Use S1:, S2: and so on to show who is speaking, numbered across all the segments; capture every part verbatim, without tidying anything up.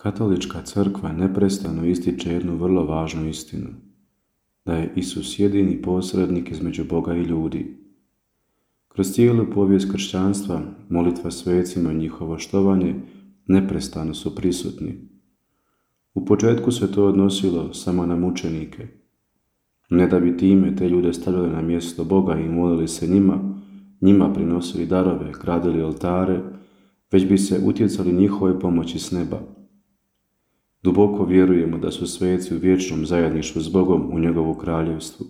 S1: Katolička crkva neprestano ističe jednu vrlo važnu istinu, da je Isus jedini posrednik između Boga i ljudi. Kroz cijelu povijest kršćanstva, molitva svecima i njihovo štovanje neprestano su prisutni. U početku se to odnosilo samo na mučenike, ne da bi time te ljude stavljali na mjesto Boga i molili se njima, njima prinosili darove, gradili oltare, već bi se utjecali njihove pomoći s neba. Duboko vjerujemo da su sveci u vječnom zajedništvu s Bogom u njegovu kraljevstvu.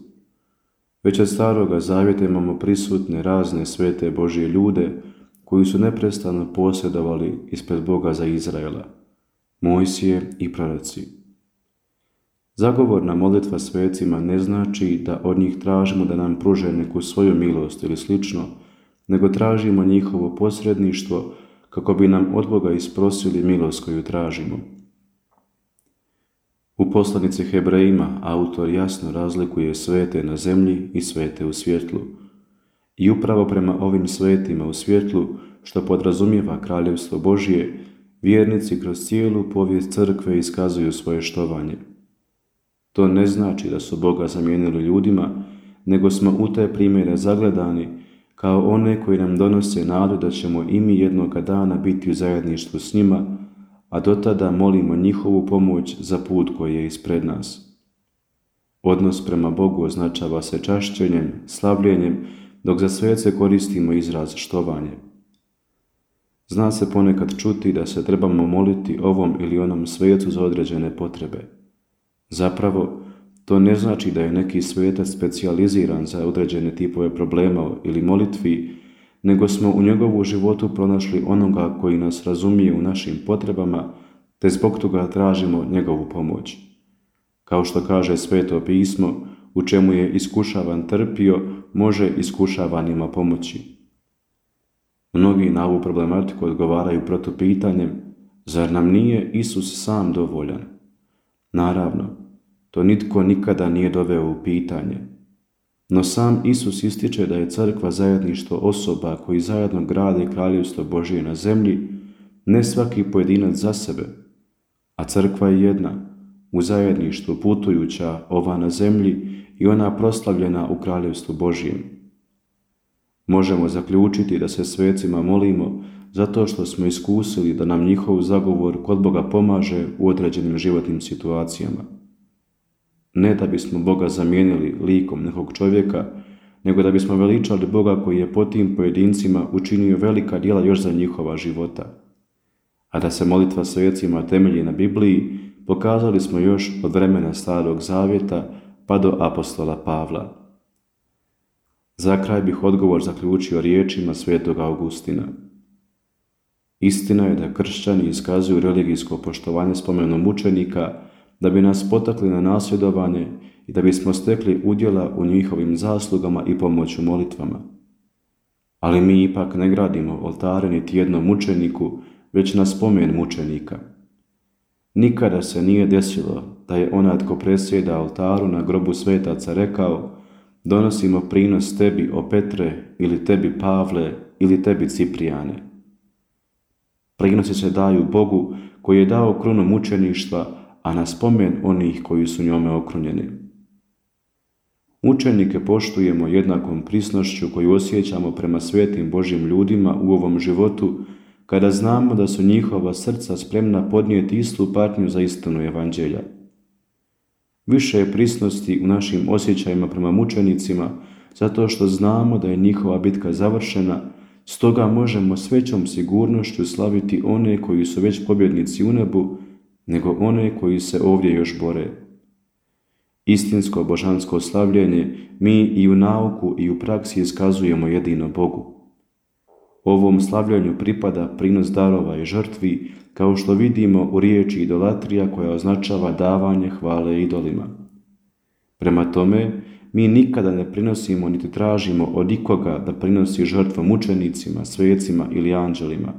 S1: Već od staroga zavjeta imamo prisutne razne svete Božje ljude koji su neprestano posjedovali ispred Boga za Izraela, Mojsije i proroci. Zagovorna molitva svecima ne znači da od njih tražimo da nam pruže neku svoju milost ili slično, nego tražimo njihovo posredništvo kako bi nam od Boga isprosili milost koju tražimo. U poslanici Hebrejima autor jasno razlikuje svete na zemlji i svete u svjetlu. I upravo prema ovim svetima u svjetlu, što podrazumijeva kraljevstvo Božje, vjernici kroz cijelu povijest crkve iskazuju svoje štovanje. To ne znači da su Boga zamijenili ljudima, nego smo u te primjere zagledani kao one koji nam donose nadu da ćemo i mi jednoga dana biti u zajedništvu s njima, a do tada molimo njihovu pomoć za put koji je ispred nas. Odnos prema Bogu označava se čašćenjem, slavljenjem, dok za svece koristimo izraz štovanje. Zna se ponekad čuti da se trebamo moliti ovom ili onom svecu za određene potrebe. Zapravo, to ne znači da je neki svetac specijaliziran za određene tipove problema ili molitvi, nego smo u njegovu životu pronašli onoga koji nas razumije u našim potrebama, te zbog toga tražimo njegovu pomoć. Kao što kaže Sveto pismo, u čemu je iskušavan trpio, može iskušavanima pomoći. Mnogi na ovu problematiku odgovaraju protupitanjem, zar nam nije Isus sam dovoljan? Naravno, to nitko nikada nije doveo u pitanje. No sam Isus ističe da je crkva zajedništvo osoba koji zajedno grade kraljevstvo Božje na zemlji, ne svaki pojedinac za sebe, a crkva je jedna, u zajedništvu putujuća, ova na zemlji i ona proslavljena u kraljevstvu Božjem. Možemo zaključiti da se svecima molimo zato što smo iskusili da nam njihov zagovor kod Boga pomaže u određenim životnim situacijama. Ne da bismo Boga zamijenili likom nekog čovjeka, nego da bismo veličali Boga koji je po tim pojedincima učinio velika djela još za njihova života. A da se molitva svecima temelji na Bibliji, pokazali smo još od vremena Starog Zavjeta pa do apostola Pavla. Za kraj bih odgovor zaključio riječima svetog Augustina. Istina je da kršćani iskazuju religijsko poštovanje spomenom mučenika da bi nas potakli na nasljedovanje i da bismo stekli udjela u njihovim zaslugama i pomoću molitvama. Ali mi ipak ne gradimo oltare niti jednom mučeniku, već na spomen mučenika. Nikada se nije desilo da je onaj tko presjeda oltaru na grobu svetaca rekao: donosimo prinos tebi, o Petre, ili tebi, Pavle, ili tebi, Ciprijane. Prinosi se daju Bogu koji je dao krunu mučeništva, a na spomen onih koji su njome okrunjeni. Mučenike poštujemo jednakom prisnošću koju osjećamo prema svetim Božjim ljudima u ovom životu, kada znamo da su njihova srca spremna podnijeti istu patnju za istinu evanđelja. Više je prisnosti u našim osjećajima prema mučenicima, zato što znamo da je njihova bitka završena, stoga možemo s većom sigurnošću slaviti one koji su već pobjednici u nebu, nego one koji se ovdje još bore. Istinsko božansko slavljenje mi i u nauku i u praksi iskazujemo jedino Bogu. Ovom slavljenju pripada prinos darova i žrtvi, kao što vidimo u riječi idolatrija koja označava davanje hvale idolima. Prema tome, mi nikada ne prinosimo niti tražimo od ikoga da prinosi žrtvu mučenicima, svecima ili anđelima.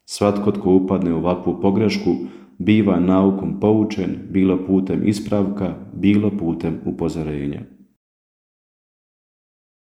S1: Svatko tko upadne u ovakvu pogrešku biva naukom poučen, bilo putem ispravka, bilo putem upozorenja.